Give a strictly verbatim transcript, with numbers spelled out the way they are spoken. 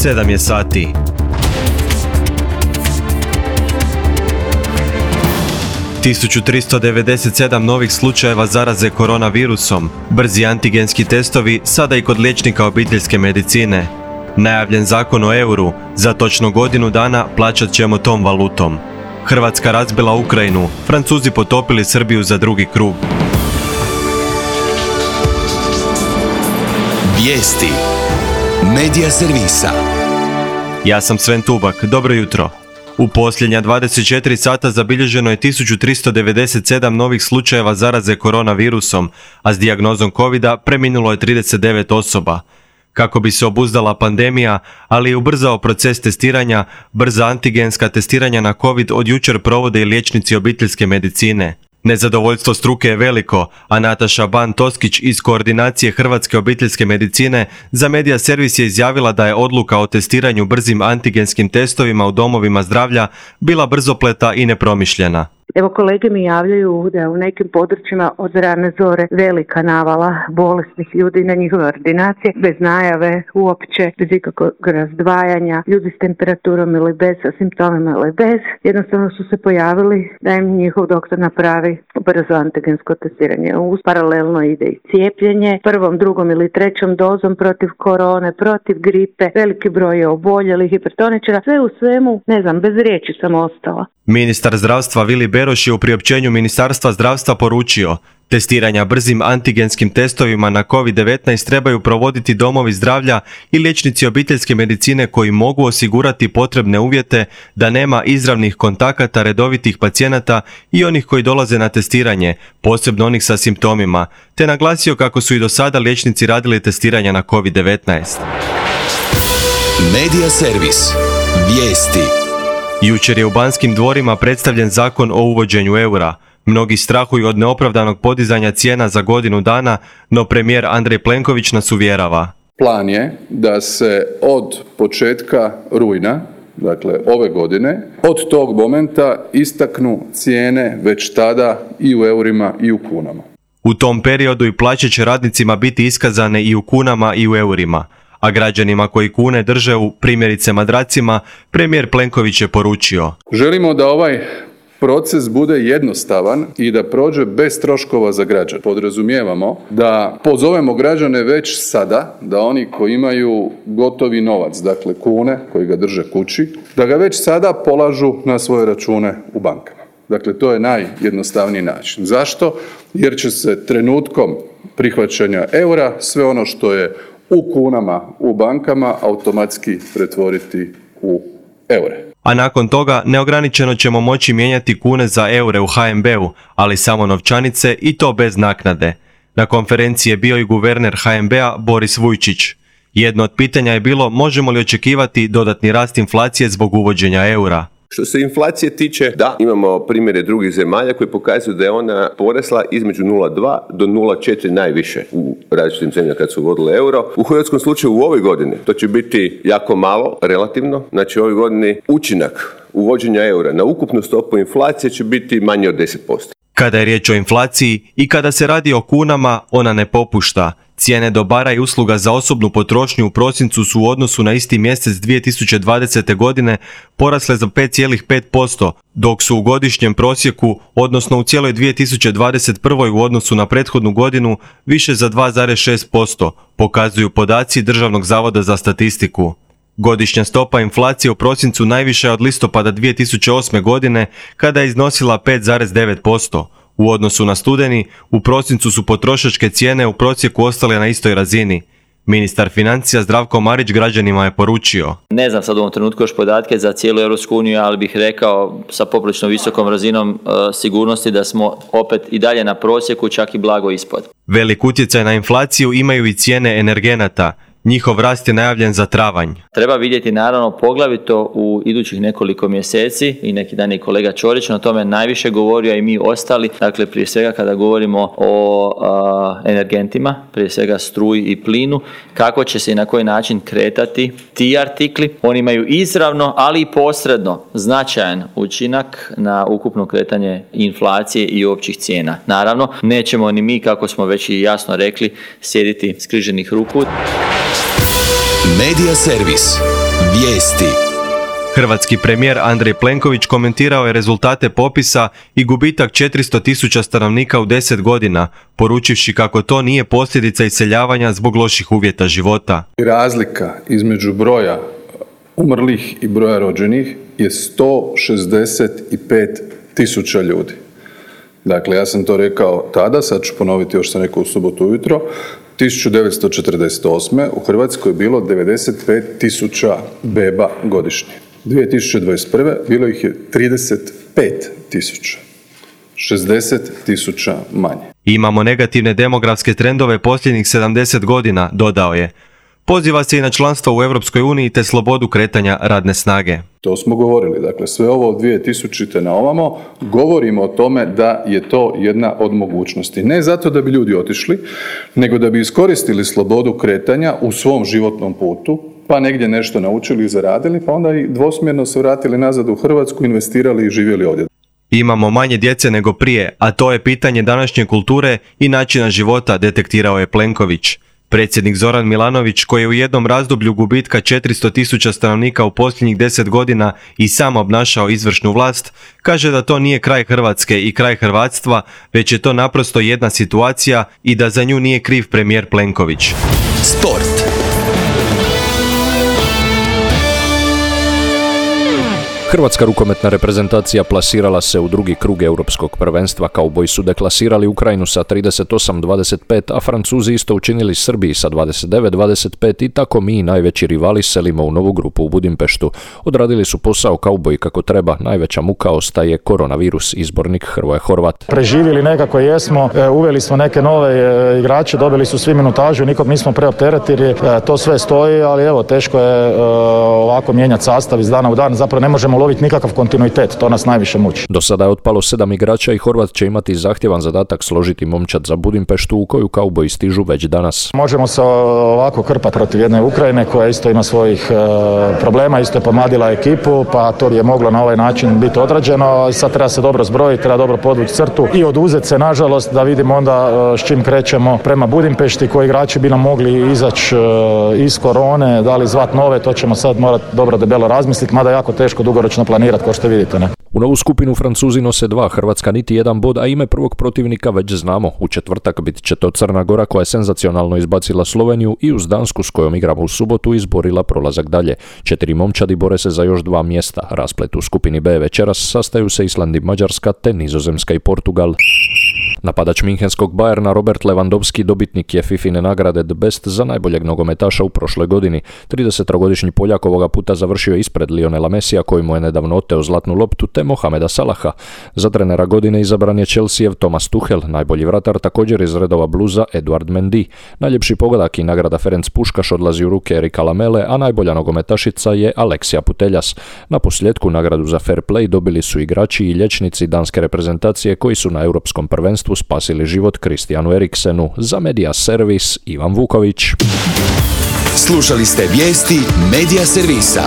sedam je sati. tisuću tristo devedeset sedam novih slučajeva zaraze koronavirusom, brzi antigenski testovi sada i kod liječnika obiteljske medicine. Najavljen zakon o euru, za točno godinu dana plaćat ćemo tom valutom. Hrvatska razbila Ukrajinu, Francuzi potopili Srbiju za drugi krug. Vijesti Medija servisa. Ja sam Sven Tubak, dobro jutro. U posljednja dvadeset četiri sata zabilježeno je tisuću tristo devedeset sedam novih slučajeva zaraze koronavirusom, a s dijagnozom covida preminulo je trideset devet osoba. Kako bi se obuzdala pandemija, ali i ubrzao proces testiranja, brza antigenska testiranja na covid od jučer provode i liječnici obiteljske medicine. Nezadovoljstvo struke je veliko, a Nataša Ban-Toskić iz koordinacije Hrvatske obiteljske medicine za Medija servis je izjavila da je odluka o testiranju brzim antigenskim testovima u domovima zdravlja bila brzopleta i nepromišljena. Evo, kolege mi javljaju da je u nekim područjima od rane zore velika navala bolesnih ljudi na njihove ordinacije, bez najave uopće, bez ikakvog razdvajanja, ljudi s temperaturom ili bez, sa simptomima ili bez. Jednostavno su se pojavili da im njihov doktor napravi brzo antigensko testiranje. Uz paralelno ide i cijepljenje, prvom, drugom ili trećom dozom protiv korone, protiv gripe, veliki broj je oboljelih, hipertoničara, sve u svemu, ne znam, bez riječi sam ostala. Ministar zdravstva Vili Beroš je u priopćenju Ministarstva zdravstva poručio: testiranja brzim antigenskim testovima na kovid devetnaest trebaju provoditi domovi zdravlja i liječnici obiteljske medicine koji mogu osigurati potrebne uvjete da nema izravnih kontakata redovitih pacijenata i onih koji dolaze na testiranje, posebno onih sa simptomima, te naglasio kako su i do sada liječnici radili testiranja na kovid devetnaest. Medija servis. Vijesti. Jučer je u Banskim dvorima predstavljen zakon o uvođenju eura. Mnogi strahuju od neopravdanog podizanja cijena za godinu dana, no premijer Andrej Plenković nas uvjerava. Plan je da se od početka rujna, dakle ove godine, od tog momenta istaknu cijene već tada i u eurima i u kunama. U tom periodu i plaće će radnicima biti iskazane i u kunama i u eurima, a građanima koji kune drže u, primjerice, madracima, premijer Plenković je poručio: želimo da ovaj proces bude jednostavan i da prođe bez troškova za građane. Podrazumijevamo da pozovemo građane već sada, da oni koji imaju gotovi novac, dakle kune, koji ga drže kući, da ga već sada polažu na svoje račune u bankama. Dakle, to je najjednostavniji način. Zašto? Jer će se trenutkom prihvaćanja eura sve ono što je u kunama u bankama automatski pretvoriti u eure. A nakon toga neograničeno ćemo moći mijenjati kune za eure u ha em be u, ali samo novčanice i to bez naknade. Na konferenciji je bio i guverner ha em be a Boris Vujčić. Jedno od pitanja je bilo možemo li očekivati dodatni rast inflacije zbog uvođenja eura. Što se inflacije tiče, da, imamo primjere drugih zemalja koji pokazuju da je ona porasla između nula zarez dva do nula zarez četiri najviše u različitim zemljama kad su uvodile euro. U hrvatskom slučaju u ovoj godini to će biti jako malo, relativno. Znači u ovoj godini učinak uvođenja eura na ukupnu stopu inflacije će biti manje od deset posto. Kada je riječ o inflaciji i kada se radi o kunama, ona ne popušta. Cijene dobara i usluga za osobnu potrošnju u prosincu su u odnosu na isti mjesec dvije tisuće dvadesete. godine porasle za pet zarez pet posto, dok su u godišnjem prosjeku, odnosno u cijeloj dvije tisuće dvadeset prvoj. u odnosu na prethodnu godinu, više za dva zarez šest posto, pokazuju podaci Državnog zavoda za statistiku. Godišnja stopa inflacije u prosincu najviša je od listopada dvije tisuće osme. godine, kada je iznosila pet zarez devet posto. U odnosu na studeni, u prosincu su potrošačke cijene u prosjeku ostale na istoj razini. Ministar financija Zdravko Marić građanima je poručio: ne znam sad u ovom trenutku još podatke za cijelu Europsku uniju, ali bih rekao sa poprilično visokom razinom e, sigurnosti da smo opet i dalje na prosjeku, čak i blago ispod. Velik utjecaj na inflaciju imaju i cijene energenata. Njihov rast je najavljen za travanj. Treba vidjeti naravno poglavito u idućih nekoliko mjeseci, i neki dan je kolega Ćorić na tome najviše govorio, a i mi ostali, dakle prije svega kada govorimo o a, energentima, prije svega struji i plinu, kako će se i na koji način kretati ti artikli. Oni imaju izravno, ali i posredno značajan učinak na ukupno kretanje inflacije i općih cijena. Naravno, nećemo ni mi, kako smo već i jasno rekli, sjediti skriženih ruku. Medija servis. Vijesti. Hrvatski premijer Andrej Plenković komentirao je rezultate popisa i gubitak četiristo tisuća stanovnika u deset godina, poručivši kako to nije posljedica iseljavanja zbog loših uvjeta života. Razlika između broja umrlih i broja rođenih je sto šezdeset pet tisuća ljudi. Dakle, ja sam to rekao tada, sad ću ponoviti još sam rekao u subotu ujutro, tisuću devetsto četrdeset osme u Hrvatskoj je bilo devedeset pet tisuća beba godišnje. dvije tisuće dvadeset prve bilo ih je trideset pet tisuća. šezdeset tisuća manje. Imamo negativne demografske trendove posljednjih sedamdeset godina, dodao je. Poziva se i na članstvo u Europskoj uniji te slobodu kretanja radne snage. To smo govorili. Dakle, sve ovo od dvije tisućite na ovamo govorimo o tome da je to jedna od mogućnosti. Ne zato da bi ljudi otišli, nego da bi iskoristili slobodu kretanja u svom životnom putu, pa negdje nešto naučili i zaradili, pa onda i dvosmjerno se vratili nazad u Hrvatsku, investirali i živjeli ovdje. Imamo manje djece nego prije, a to je pitanje današnje kulture i načina života, detektirao je Plenković. Predsjednik Zoran Milanović, koji je u jednom razdoblju gubitka četiristo tisuća stanovnika u posljednjih deset godina i sam obnašao izvršnu vlast, kaže da to nije kraj Hrvatske i kraj hrvatstva, već je to naprosto jedna situacija i da za nju nije kriv premijer Plenković. Sport. Hrvatska rukometna reprezentacija plasirala se u drugi krug europskog prvenstva. Kauboji su deklasirali Ukrajinu sa trideset osam dvadeset pet, a Francuzi isto učinili Srbiji sa dvadeset devet dvadeset pet i tako mi, najveći rivali, selimo u novu grupu u Budimpeštu. Odradili su posao kauboji kako treba, najveća muka ostaje koronavirus, izbornik Hrvoje Horvat. Preživjeli nekako jesmo, uveli smo neke nove igrače, dobili su svi minutažu, nikog nismo preopteretili, to sve stoji, ali evo, teško je ovako mijenjati sastav iz dana u dan, zapravo ne možemo loviti nikakav kontinuitet, to nas najviše muči. Do sada je otpalo sedam igrača i Horvat će imati zahtjevan zadatak složiti momčad za Budimpeštu u koju kauboji stižu već danas. Možemo se ovako krpati protiv jedne Ukrajine koja isto ima svojih e, problema, isto je pomladila ekipu, pa to je moglo na ovaj način biti odrađeno. Sad treba se dobro zbrojiti, treba dobro podvući crtu i oduzeti se, nažalost, da vidimo onda e, s čim krećemo prema Budimpešti, koji igrači bi nam mogli izaći e, iz korone, da li zvat nove, to ćemo sad morati dobro debelo razmisliti, mada jako teško dugoročno planirati, kao što vidite, ne? U novu skupinu Francuzi nose dva, Hrvatska niti jedan bod, a ime prvog protivnika već znamo. U četvrtak bit će to Crna Gora, koja je senzacionalno izbacila Sloveniju, i uz Dansku, s kojom igramo u subotu, izborila prolazak dalje. Četiri momčadi bore se za još dva mjesta. Rasplet u skupini B večeras sastaju se Island i Mađarska, te Nizozemska i Portugal. Napadač minhenskog Bayerna Robert Lewandowski dobitnik je Fifine nagrade The Best za najboljeg nogometaša u prošloj godini. tridesettrogodišnji Poljak ovoga puta završio ispred Lionela Messija, koji mu je nedavno oteo zlatnu loptu, te Mohameda Salaha. Za trenera godine izabran je Chelseajev Thomas Tuchel, najbolji vratar također iz redova Bluza Eduard Mendy. Najljepši pogodak i nagrada Ferenc Puškaš odlazi u ruke Erika Lamele, a najbolja nogometašica je Aleksija Puteljas. Na posljedku nagradu za fair play dobili su igrači i liječnici danske reprezentacije koji su na europskom prvenstvu spasili život Kristijanu Eriksenu. Za Medija servis Ivan Vuković. Slušali ste vijesti Medija servisa.